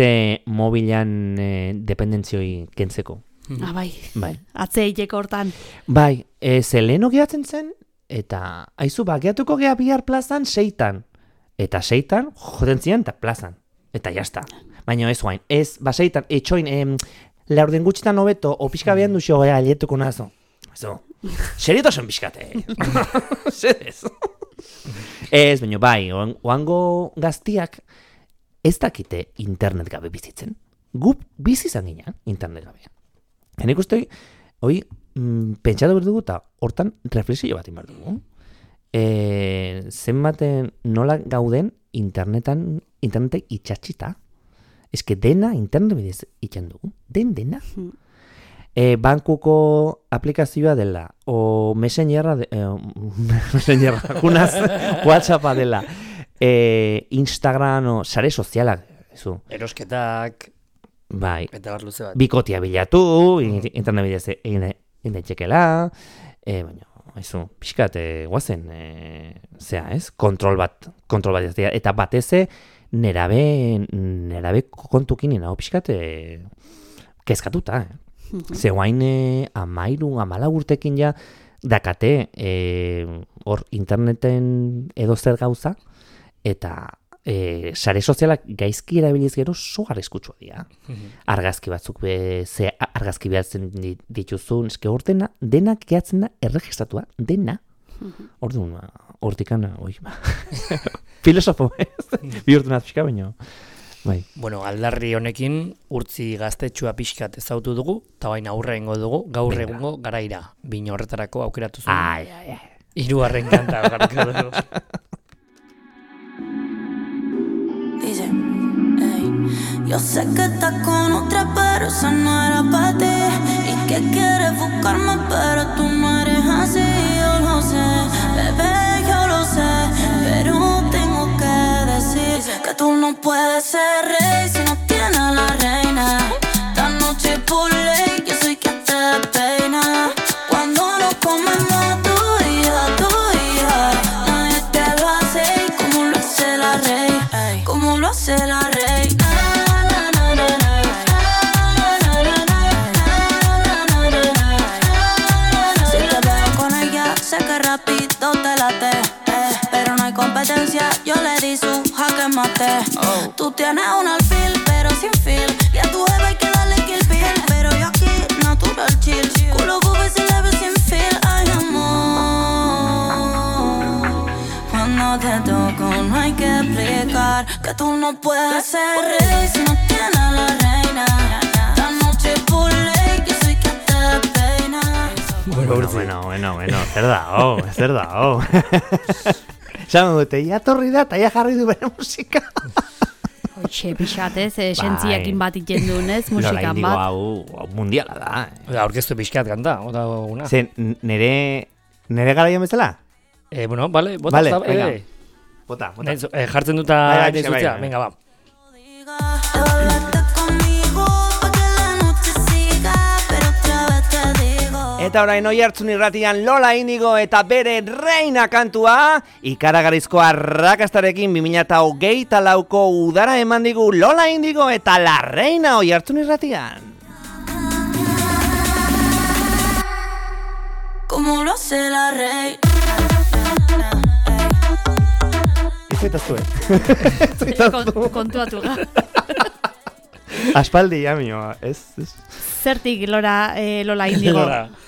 mobilan e, dependentzioi kentzeko. Ah, bai, Bai, atzeiteko hortan. bai, e, ze leheno gehatzen zen, eta aizu, ba, gehatuko geha bihar plazan seitan. Eta seitan, joden zian, eta plazan. Eta jazta. Baina ez guain, ez, ba, seitan, etxoin, em, laurden gutxitan hobeto, o pixka behan duxo, ea, alietuko nazo. Eso, seriotasun pixkate. Zerez. Ez, baina bai, oan- oango gaztiak ez dakite internet gabe bizitzen. Gu bizi izan ginean internet gabe. Henik ustei, hoi, mm, pentsatu behar dugu eta hortan reflexio bat inbar dugu. E, zenbaten nola gauden internetan, internetek itxatxita. Ez que dena internet bidez itxan dugu. Den, dena. E, bankuko aplikazioa dela, o messengerra, de, eh, messengerra, junaz, WhatsAppa dela, e, Instagram, o sare sozialak, zu. Erosketak, Bai, eta bar luze bat. bikotia bilatu, in- internet bidez egin egin daitezkeela, e, baina, haizu, pixkat, e, guazen, e, zea, ez? Kontrol bat, kontrol bat ez dira. Eta bateze, nerabe, nerabe kontukin ninago pixkat, e, kezkatuta, eh? Ze guain e, amairu, amala urtekin ja, dakate, e, hor interneten edo zer gauza, eta e, sare sozialak gaizki erabiliz gero so arriskutsua dira. Argazki batzuk be, ze argazki behatzen di- dituzun, eske hor dena, denak gehatzen da erregistratua, dena. Orduan, hortikana, oi, ba. Filosofo, ez? Bihurtu naz pixka, baina. Bai. Bueno, aldarri honekin urtzi gaztetxua pixkat ezautu dugu, eta baina aurre egingo dugu, gaur Venga. egungo garaira. Bino horretarako aukeratu zuen. Ai, ai, ai. Hirugarren kanta garriko dugu. Dice, ey, yo sé que estás con otra, pero esa no era para ti. Y que quieres buscarme, pero tú no eres así. Yo lo sé, bebé, yo lo sé. Pero tengo que decir que tú no puedes ser rey si no tienes a la reina. Esta noche por ley, yo soy quien te despeina. Cuando nos comemos tú y yo, tú y yo, nadie te lo hace como lo hace la rey, como lo hace la rey. Na, na, na, na, na. Na, na, na, na, na, na, na, na. Si te veo con ella, sé que rápido te late, eh, pero no hay competencia, yo le di su jaque mate. Tú tienes un alfil, pero sin fil, y a tu jefe hay que darle kill bill, pero yo aquí natural chill, culo booby se le ve sin fil. Ay, amor, cuando te toco no hay que explicar que tú no puedes ser rey si no tienes a la reina. Esta noche por ley, yo soy quien te despeina. Bueno, bueno, bueno, bueno, zer da, oh, zer da, oh. Esan dute, ja torri da, eta ja jarri du bere musika. Hoxe, pixatez, esentziakin bat iten duen, ez, musikan Nola indigo bat. hau, hau mundiala da. Oda, aurkeztu pixkat kanta, oda una. Zen, nere, nere garaian bezala? Eh, bueno, vale, bota. Vale, zaba- venga. eh, Bota, bota. nahiz- eh, jartzen duta Bai, bai, nahiz bai, duzea. bai. Venga, ba. Te hablaste conmigo Eta orain Oihartzun irratian Lola Indigo eta bere Reina kantua, ikaragarrizko arrakastarekin bi mila hogeita lauko udara eman digu Lola Indigo eta La Reina Oihartzun irratian. Como lo hace la reina. Izaitaztu, eh? Kontuatu ga. Aspaldi, amio, ez, ez. Zertik Lora, eh, Lola Indigo?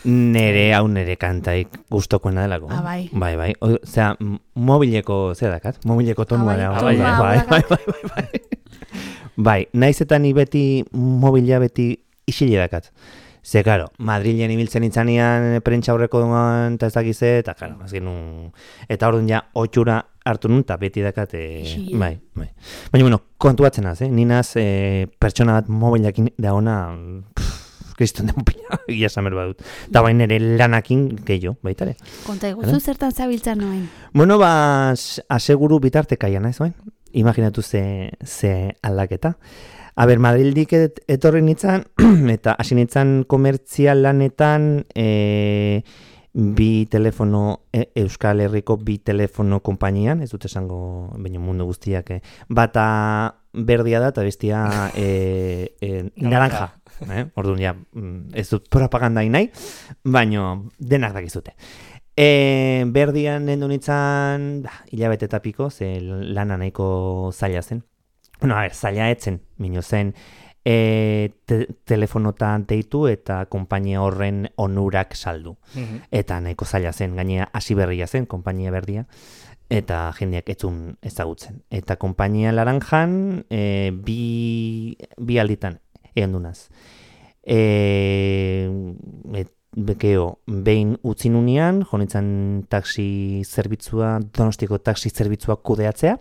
Nere, hau nere kantaik gustokoena delako. Ah, bai. Bai, bai. Osea, mobileko, zer dakat? Mobileko tonua da. Ah, Bai, bai, bai, bai, bai, bai, bai. Bai, naiz eta ni beti mobila beti isile dakat. Ze, karo, Madrilen ibiltzen itzanean prentsa aurreko duan, eta ez dakize, eta, karo, azken un... Eta orduan ja, otxura hartu nun, eta beti dakat, e... bai, bai. Baina, bueno, kontuatzen az, eh? Ninaz, e, pertsona bat mobilakin da ona, kriston den pila, ia samer badut. Eta bain ere lanakin gehiago, baitare. Konta eguzu zertan zabiltzan noen? Bueno, ba, aseguru bitartekaian, ez bain? Imaginatu ze, ze aldaketa. A ber, Madrildik et, etorri nintzen, eta hasi nintzen komertzial lanetan, e, bi telefono, e, Euskal Herriko bi telefono konpainian, ez dut esango baino mundu guztiak, e, bata berdia da eta bestia e, e, naranja. Eh? Orduan, ja, ez dut propagandai nahi, baino denak dakizute. E, berdian nendu nintzen, da, hilabete eta piko, ze lana nahiko zaila zen. Bueno, a ver, zaila etzen, mino zen, e, te, telefonotan deitu eta konpainia horren onurak saldu. Mm-hmm. Eta nahiko zaila zen, gainera hasi berria zen, konpainia berdia, eta jendeak etzun ezagutzen. Eta konpainia laranjan, e, bi, bi alditan egon dunaz. E, et, Bekeo, behin utzi nunean, jonitzen taxi zerbitzua, Donostiko taxi zerbitzua kudeatzea.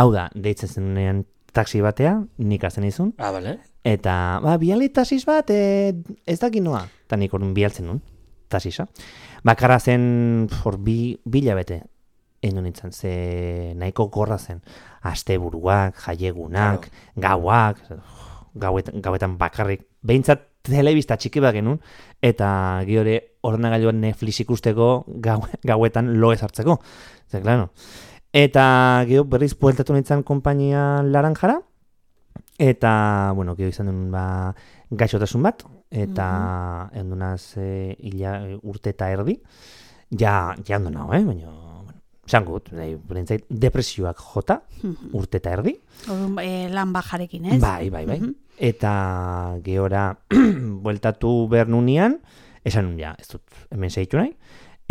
Hau da, deitzen zenunean taxi batea, nik hartzen izun. Ah, bale. Eta, ba, biali taxis bat, e, ez dakit noa. Eta nik orduan bialtzen nun, taxisa. Bakarra zen, for, bi, bilabete, egin nintzen, ze nahiko gorra zen. Asteburuak, jaiegunak, claro. Gauak, gauet, gauetan bakarrik, behintzat telebista txiki bat genuen, eta gihore ordenagailuan Netflix ikusteko gau, gauetan lo ez hartzeko. Zer, klaro. Eta gero berriz bueltatu nintzen konpainia laranjara, eta, bueno, gero izan duen ba, gaixotasun bat, eta mm-hmm. endunaz e, ila, urte eta erdi, ja, ja ondo nago, eh? Baina, bueno, esan gut, berentzait, depresioak jota, mm-hmm. urte eta erdi. Orduan, e, lan bajarekin, ez? Bai, bai, bai. Mm-hmm. Eta gehora bueltatu behar nunean, esan nun ja, ez dut hemen segitu nahi.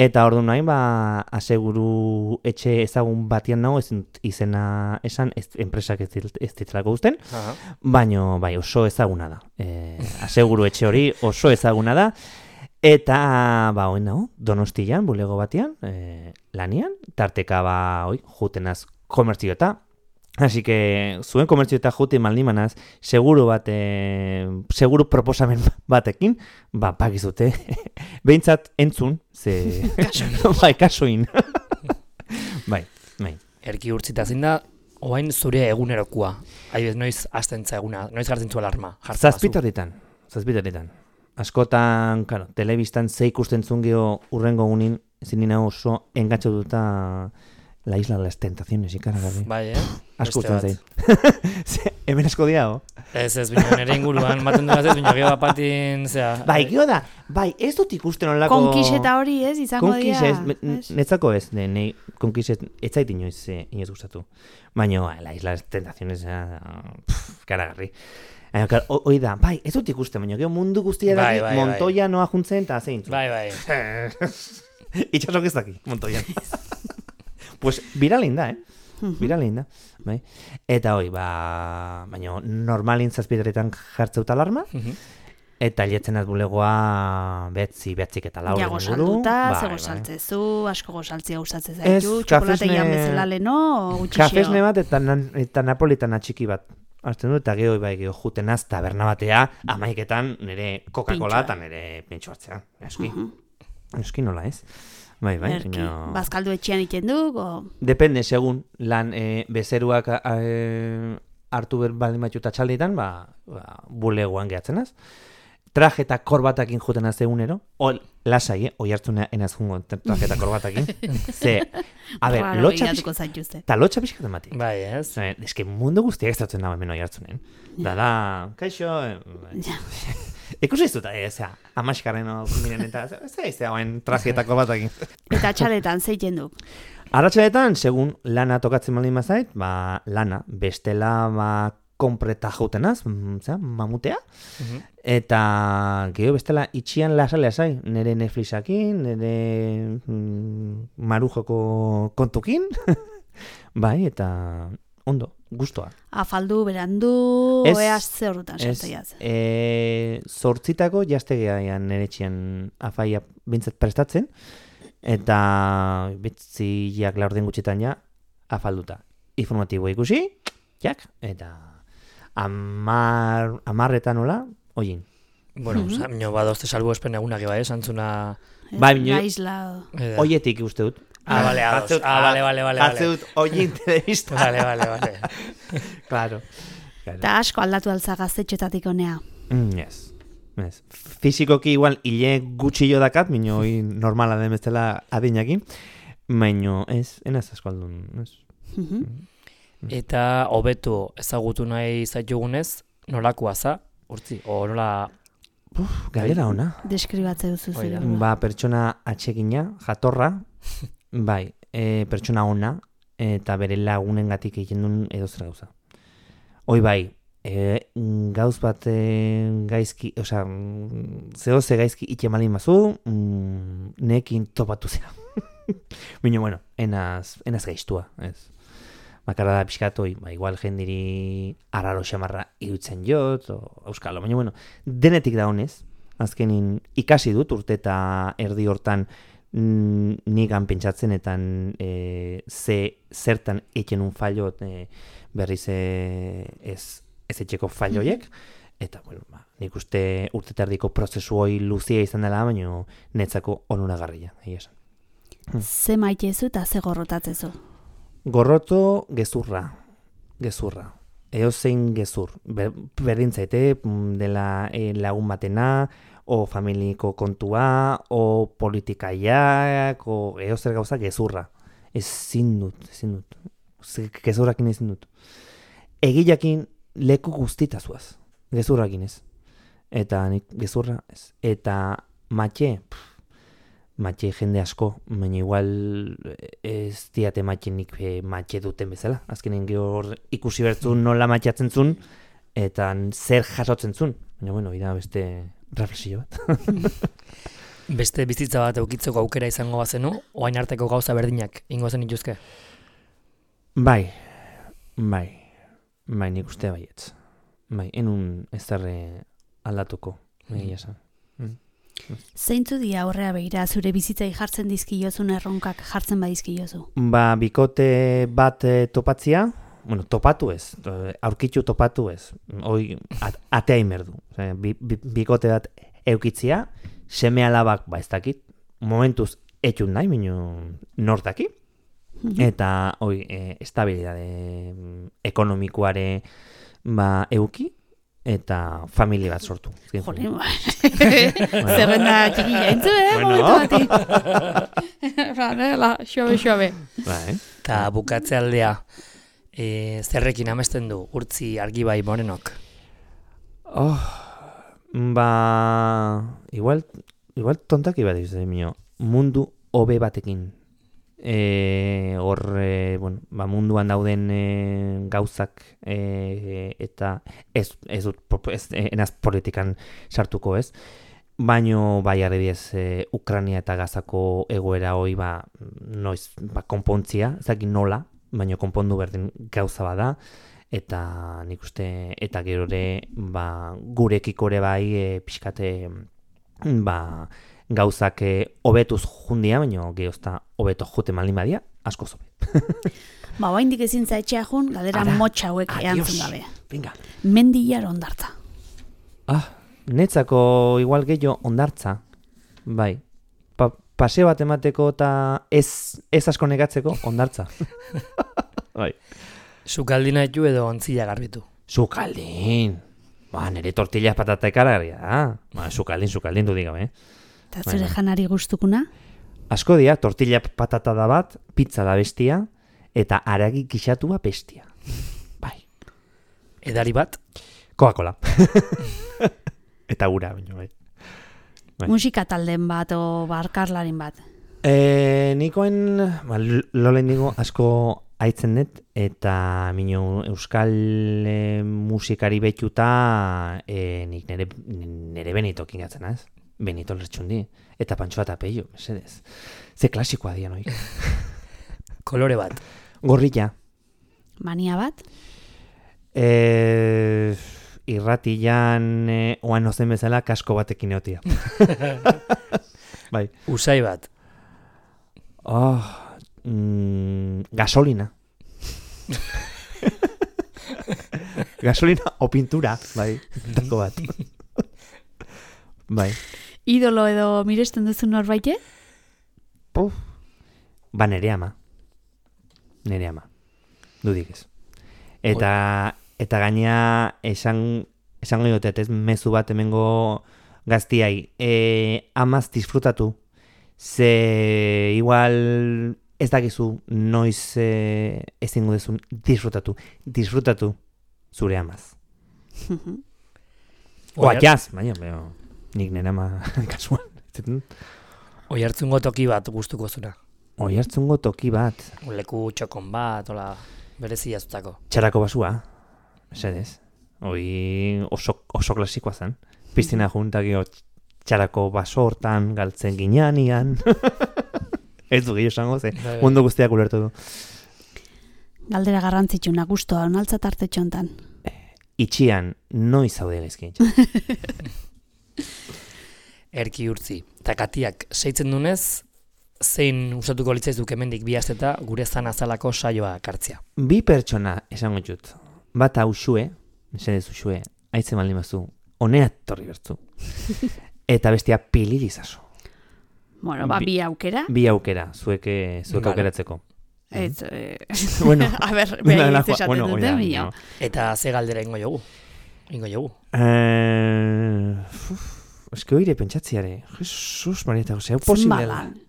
Eta orduan nahi, ba, aseguru etxe ezagun batian nago, ez izena esan, ez, enpresak ez, ez ditzelako guzten, uh-huh. Baina bai, oso ezaguna da. E, aseguru etxe hori oso ezaguna da. Eta, ba, hoi nago, Donostian, bulego batian, e, lanian, tarteka, ba, hoi, jutenaz komertzio eta, así que zuen komertzio eta jute maldimanaz, seguru bat, e, seguru proposamen batekin, ba, pakizute, behintzat entzun, ze... bai, kasoin. bai, bai. Erki urtzita zin da, oain zure egunerokua. Haibez, noiz aztentza eguna, noiz gartzen zu alarma. Zazpitarritan, zazpitarritan. Askotan, claro, telebistan ze ikusten zun geho urrengo gunin, zinina oso engatxo duta... La isla de las tentaciones, ikaragarri. Bai, eh? Asko usten zein. Hemen asko diago. Ez, ez, bino, nire inguruan, maten duaz ez, bino, geho bapatin, zera... Bai, geho da, bai, ez dut ikusten onlako... Konkiseta hori, ez, izango dira. Konkisez, netzako ez, ne, ne, konkisez, ez zait inoiz, eh, inoiz gustatu. Baina, la isla de las tentaciones, pff, karagarri. Hoi da, bai, ez dut ikusten, baina geho mundu guztia da, bai, bai, Montoya bai. Noa juntzen, eta zein. Bai, bai. Itxasok ez daki, Montoyan. Pues viralein da, eh? Viralein da, bai. Eta hoi, ba, baina normalin zazpideretan jartzeuta alarma, eta lietzen az bulegoa betzi, betzik eta laur. Ja, gozalduta, ze gozaltzezu, asko gozaltzia gustatzen zaitu, txokolategian bezala leno, gutxixio. Kafesne bat eta, eta napolitana txiki bat. Azten du, eta geho, bai, geho jutenaz taberna batea, amaiketan nire Coca-Cola eta nire pintxo hartzea. Eski, eski nola ez. Bai, bai. Erki, no... bazkaldu etxean iten du, o... Depende, segun, lan e, bezeruak e, hartu ber baldin batxuta txalditan, ba, ba, bulegoan gehatzenaz. Traje eta korbatakin jutenaz egunero, lasai, eh? Oi hartzuna enaz jungo trajeta korbatakin. Ze, a ber, Raro lotxa begiratuko pixka, zaituzte. eta lotxa pixka temati. Bai, ez? Ez que mundu guztiak ez datzen dago hemen oi hartzunen. Da, da, kaixo, Ja. ikusi ez dut, ez, amaskarren miren eta, ez ez da, hauen trajeta korbatakin. Eta txaletan, zeiten du. Arratxaletan, segun lana tokatzen baldin bazait, ba, lana, bestela, ba, konpreta jautenaz, zera, mamutea, Mhm. eta geho bestela itxian lasai-lasai, nire Netflixakin, nire mm, marujoko kontukin, bai, eta ondo, gustoa. Afaldu, berandu, Ez, oeaz ze horretan Ez, sartzaiaz. e, zortzitako jastegean nire etxian afaia bintzat prestatzen, eta betziak laurden gutxitan ja afalduta. Informatibo ikusi, jak, eta amar, amarretan nola, oin. Bueno, Mhm. mm -hmm. badozte salbu espen egunak eba, esantzuna... Bai, bine- Aislado. Eh, Oietik uste dut. Ah, bale, ados. Jartzeut- Ah, bale, bale, bale, jartze bale. dut oin telebista. Vale, vale, vale. Claro. claro. Eta asko aldatu altza gaztetxoetatik honea. Mm, yes. Yes. Fizikoki igual hile gutxillo dakat, mino hoi normala den bezala adinakin, baino ez, enaz asko aldun, ez. Mhm. Eta hobetu ezagutu nahi zaitugunez, nolakoa za, urtzi, o nola... Galdera ona. Deskribatze duzu Hoi da. zure. Ba, pertsona atsegina, jatorra, bai, e, pertsona ona, eta bere lagunengatik egiten duen edozer gauza. Hoi bai, e, gauz bat e, gaizki, osea, zeo ze gaizki ite malin mazu, mm, nekin topatu zera. Bino, bueno, enaz, enaz gaiztua, ez. Bakarra da pixkatoi, ba, igual jendiri arraro xamarra irutzen jot, o euskalo, baina, bueno, denetik da honez, azkenin ikasi dut urte eta erdi hortan mm, nigan pentsatzen eta e, ze zertan eken un fallo e, berriz e, ez, ez etxeko falloiek, eta, bueno, ba, nik uste urte eta erdiko prozesu hoi luzia izan dela, baina netzako onuragarria, egia esan. Ze maitezu eta ze gorrotatzezu. Gorroto gezurra, gezurra. Eozein gezur. Ber, berdin zaite mm, dela e, lagun batena, o familiko kontua, o politikaiak, o eozer gauza gezurra. Ezin dut, ezin dut. Ze- Gezurrakin ezin dut. Egilakin leku guztitazuaz. Gezurrakin ez. Eta nik gezurra ez. Eta matxe, pff, matxe jende asko, baina igual ez diate matxenik e, matxe duten bezala. Azkenen gehor ikusi bertzun nola matxatzen zun, eta zer jasotzen zun. Baina, bueno, ida beste reflexio bat. Beste bizitza bat eukitzeko aukera izango bazenu, oain arteko gauza berdinak ingo zen ituzke. Bai, bai, bai, nik uste baietz. Bai, enun ez zerre aldatuko, egia esan. Zeintzu dia aurrea begira zure bizitzai jartzen dizkiozun erronkak jartzen badizkiozu? Ba, bikote bat e, topatzia, bueno, topatu ez, e, aurkitzu topatu ez, hoi at, atea inberdu. Osea, bi, bi, bikote bat eukitzia, seme alabak, ba ez dakit, momentuz etxun nahi, minu nortaki, eta hoi, e, estabilidade mm, ekonomikoare ba euki, eta familia bat sortu. Jole, zerrenda txikilla entzu, eh? Bueno. Momentu bati. Ranela, xobe, xobe. Bai. Eta bukatze aldea, e, zerrekin amesten du, urtzi argibai morenok. Oh, ba, igual, igual tontaki bat izan mio, mundu hobe batekin. E, hor, e, bueno, ba, munduan dauden e, gauzak e, eta ez, ez dut, ez, enaz politikan sartuko ez, baino bai arrediez e, Ukrania eta Gazako egoera hoi ba, noiz, ba, konpontzia, ezagin nola, baino konpondu berdin gauza bada, eta nik uste, eta gero ere, ba, gurekiko ere bai e, pixkate, ba, gauzak hobetuz jundia, baina gehozta hobeto jute malin badia, asko zobe. Ba, oaindik ezin zaitxea jun, galera Ara, motxa hauek adios. eantzun gabe. Venga. Mendillar ondartza. Ah, netzako igual gehiago ondartza. Bai. Pa, paseo bat emateko eta ez, ez asko negatzeko ondartza. Bai. Sukaldina ditu edo ontzila garbitu. Sukaldin. Ba, nire tortilla patata ekargarria da. Ba, sukaldin, sukaldin du digabe, eh? Eta zure Bai. janari gustukuna? Asko dira, tortilla patata da bat, pizza da bestia, eta aragi gixatua bestia. Bai. Edari bat, Coca-Cola. Eta ura, baina bai. Bai. Musika talden bat o barkarlarin bat. E, nikoen, ba, lolen digo, asko haitzen dut, eta mino euskal e, musikari betuta e, nik nere, nere Benito kingatzen, ez? Benito lertxundi. Eta Pantxoa eta Peio, mesedez. Ze klasikoa dian hori. kolore bat, Gorrilla. Mania bat? E, irratian e, oan ozen bezala kasko batekin eotia. Bai. usai bat, Oh, mm, gasolina. Gasolina o pintura, bai, tako bat. Bai. Idolo edo miresten duzu norbaite? Puf. Ba, nere ama. Nere ama. Dudik ez. Eta, eta gaina esan, esango diotet ez mezu bat hemengo gaztiai. E, amaz disfrutatu. Ze igual ez dakizu noiz e, ezingo dezun disfrutatu. Disfrutatu zure amaz. Oa, jaz, baina, baina, nik nire ama kasuan. oi hartzungo toki bat gustuko zuna. Oi hartzungo toki bat. Leku txokon bat, hola, berezi jazutako. Txarako basua, esedez. Hoi oso, oso klasikoa zen. Piztina junta gio txarako baso hortan galtzen gineanian. Ez du gehiago esango, ze Bai, bai. mundu guztiak ulertu du. Galdera garrantzitsuna, gustoa, onaltza tarte txontan. Itxian, noiz zaude gaizkin. Erki urtzi. Eta katiak seitzen dunez, zein usatuko litzaizuk hemendik bi asteta gure zan azalako saioa kartzia. Bi pertsona esango dut. Bata usue, mesedez usue, aitzen baldin bazu, honea torri bertzu. Eta bestia pilirizazo. Bueno, ba, Bi- bi aukera. Bi aukera, zueke, zuek Vale. aukeratzeko. Ez, eh, Bueno, a ber, Bueno, behin la- ez esaten bueno, dute, oida, mio. no. Eta ze galdera ingo jogu. Ingo jogu. Eh, uf, eske oire pentsatziare. Jesus, Marieta, ose, hau posible da. Zenbalan.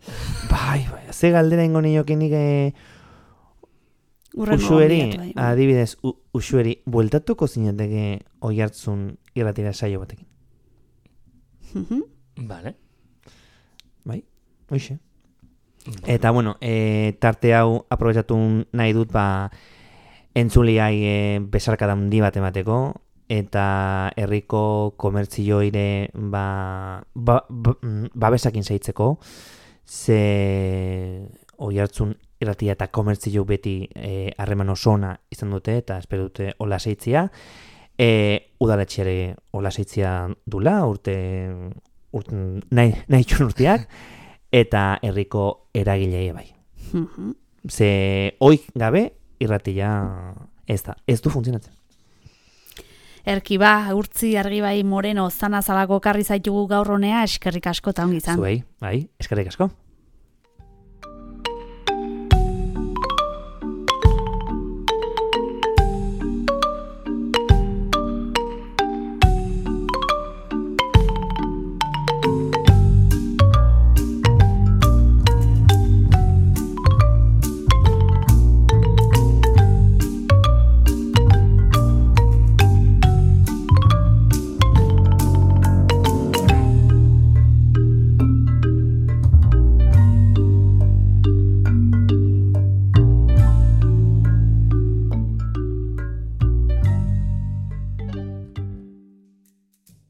Bai, bai, ze galdera ingo nioke nik eh, Urrengo usueri, gonbidatu, bai. adibidez, u, usueri, bueltatuko zinateke oi hartzun irratira saio batekin. Mhm. Vale. Bai, hoxe. Eta, bueno, e, tarte hau aprobetxatu nahi dut, ba, entzuliai e, besarkada handi bat emateko, eta herriko komertzioire ba, ba, ba, mm, babesakin zaitzeko, ze oi hartzun irratia eta komertzio beti e, harreman oso ona izan dute, eta espero dute hola zeitzia. E, udaletxeare hola zeitzia dula, urte, urte nahi, nahi txun urteak, eta herriko eragilei bai. Mhm. Ze oik gabe irratia ez da, ez du funtzionatzen. Erki ba, urtzi argibai moreno zanazalako karri zaitugu gaur honea, eskerrik asko eta ongi izan. Zuei, bai, eskerrik asko.